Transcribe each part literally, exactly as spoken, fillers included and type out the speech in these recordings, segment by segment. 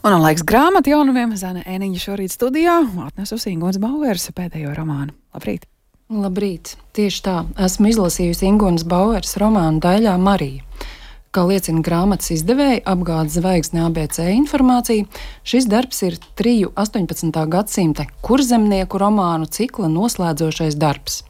Un laiks grāmatu jaunumiem. Zana Ēniņa šorīt studijā atnesusi Ingunas Baueres pēdējo romānu. Labrīt! Labrīt! Tieši tā, esmu izlasījusi Ingunas Baueres romānu Daļā Marija. Kā liecina grāmatas izdevēja apgādes zvaigzne A B C informācija, šis darbs ir triju astoņpadsmitā gadsimta kurzemnieku romānu cikla noslēdzošais darbs.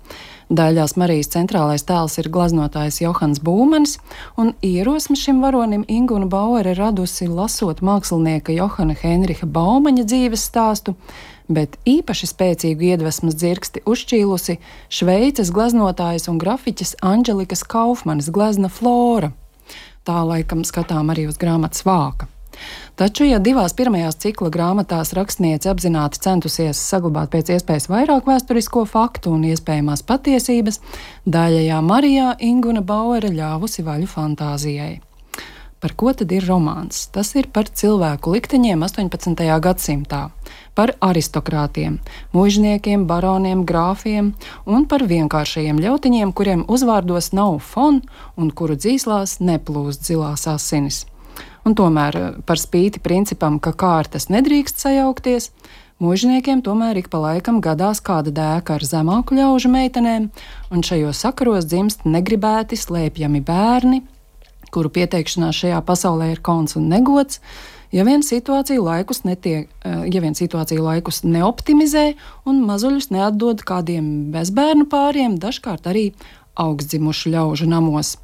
Daļās Marijas centrālais tēls ir glaznotājs Johans Būmanis, un ierosmi šim varonim Inguna Bauere radusi lasot mākslinieka Johana Henriha Baumaņa dzīves stāstu, bet īpaši spēcīgu iedvesmas dzirksti uzšķīlusi Šveices gleznotājas un grafiķes Anģelikas Kaufmanes glezna Flora. Tā laikam skatām arī uz grāmatas vāka. Taču, ja divās pirmajās cikla grāmatās rakstniece apzināti centusies saglabāt pēc iespējas vairāk vēsturisko faktu un iespējamās patiesības, Daļajā Marijā Inguna Bauere ļāvusi vaļu fantāzijai. Par ko tad ir romāns? Tas ir par cilvēku likteņiem astoņpadsmitajā gadsimtā, par aristokrātiem, muižniekiem, baroniem, grāfiem un par vienkāršajiem ļautiņiem, kuriem uzvārdos nav fon un kuru dzīslās neplūst zilās asinis. Un tomēr par spīti principam, ka kārtas nedrīkst sajaukties, muižniekiem tomēr ik pa laikam gadās kāda dēka ar zemāku ļaužu meitenēm, un šajos sakaros dzimst negribēti slēpjami bērni, kuru pieteikšanās šajā pasaulē ir kauns un negods, ja vien situāciju laikus, netiek, ja vien situāciju laikus neoptimizē un mazuļus neatdod kādiem bezbērnu pāriem, dažkārt arī augstdzimušu ļaužu namos.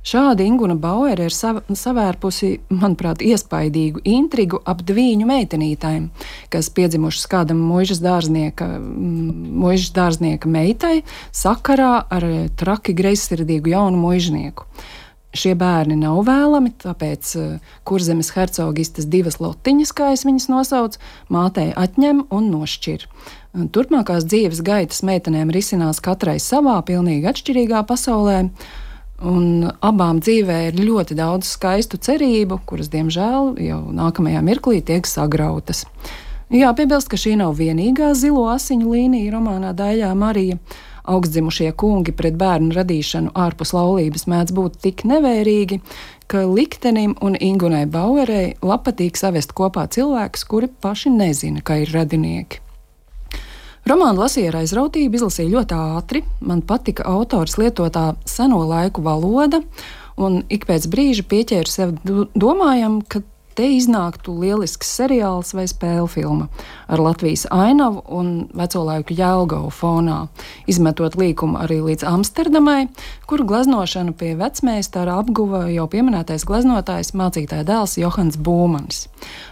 Šādi Inguna Bauere ir sav, savērpusi, manuprāt, iespaidīgu intrigu ap dvīņu meitenītēm, kas piedzimušas kādam muižas dārznieka, muižas dārznieka meitai sakarā ar traki greizsirdīgu jaunu muižnieku. Šie bērni nav vēlami, tāpēc Kurzemes hercogistes divas lotiņas, kā es viņas nosauc, mātei atņem un nošķir. Turpmākās dzīves gaitas meitenēm risinās katrai savā, pilnīgi atšķirīgā pasaulē, un abām dzīvē ir ļoti daudz skaistu cerību, kuras, diemžēl, jau nākamajā mirklī tiek sagrautas. Jāpiebilst, ka šī nav vienīgā zilo asiņu līnija romānā Daļā Marija. Augstdzimušie kungi pret bērnu radīšanu ārpus laulības mēdz būt tik nevērīgi, ka liktenim un Ingunai Bauerei labpatīk savest kopā cilvēkus, kuri paši nezina, ka ir radinieki. Romānu lasīju ar aizrautību, izlasīju ļoti ātri. Man patika autors lietotā seno laiku valoda, un ik pēc brīža pieķēru sev domājam, ka te iznāktu lielisks seriāls vai spēļu filma ar Latvijas ainavu un veco laiku Jelgavu fonā, izmetot līkumu arī līdz Amsterdamai, kuru gleznošanu pie vecmeistara apguva jau pieminētais gleznotājs mācītāja dēls Johans Būmanis.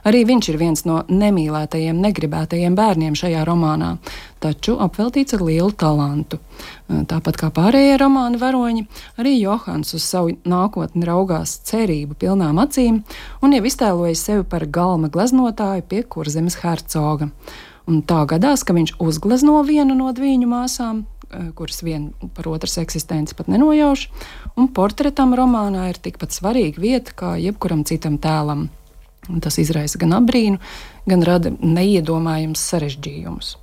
Arī viņš ir viens no nemīlētajiem, negribētajiem bērniem šajā romānā, taču apveltīts ar lielu talantu. Tāpat kā pārējie romāna varoņi, arī Johans uz savu nākotni raugās cerību pilnām acīm un jau iztēlojas sevi par galma gleznotāju pie Kurzemes hercoga. Un tā gadās, ka viņš uzglezno vienu no dvīņu māsām, kuras vien par otras eksistenci pat nenojauš, un portretam romānā ir tikpat svarīga vieta kā jebkuram citam tēlam. Un tas izraisa gan apbrīnu, gan rada neiedomājams sarežģījumus.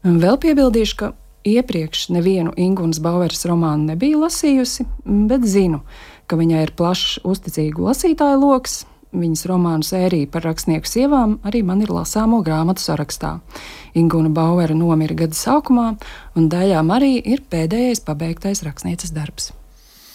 Vēl piebildīšu, ka iepriekš nevienu Ingunas Baueres romānu nebiju lasījusi, bet zinu, ka viņai ir plašs uzticīgu lasītāju loks. Viņas romānu sērija par rakstnieku sievām arī man ir lasāmo grāmatu sarakstā. Inguna Bauere nomira gada sākumā, un Daļā Marija ir pēdējais pabeigtais rakstnieces darbs.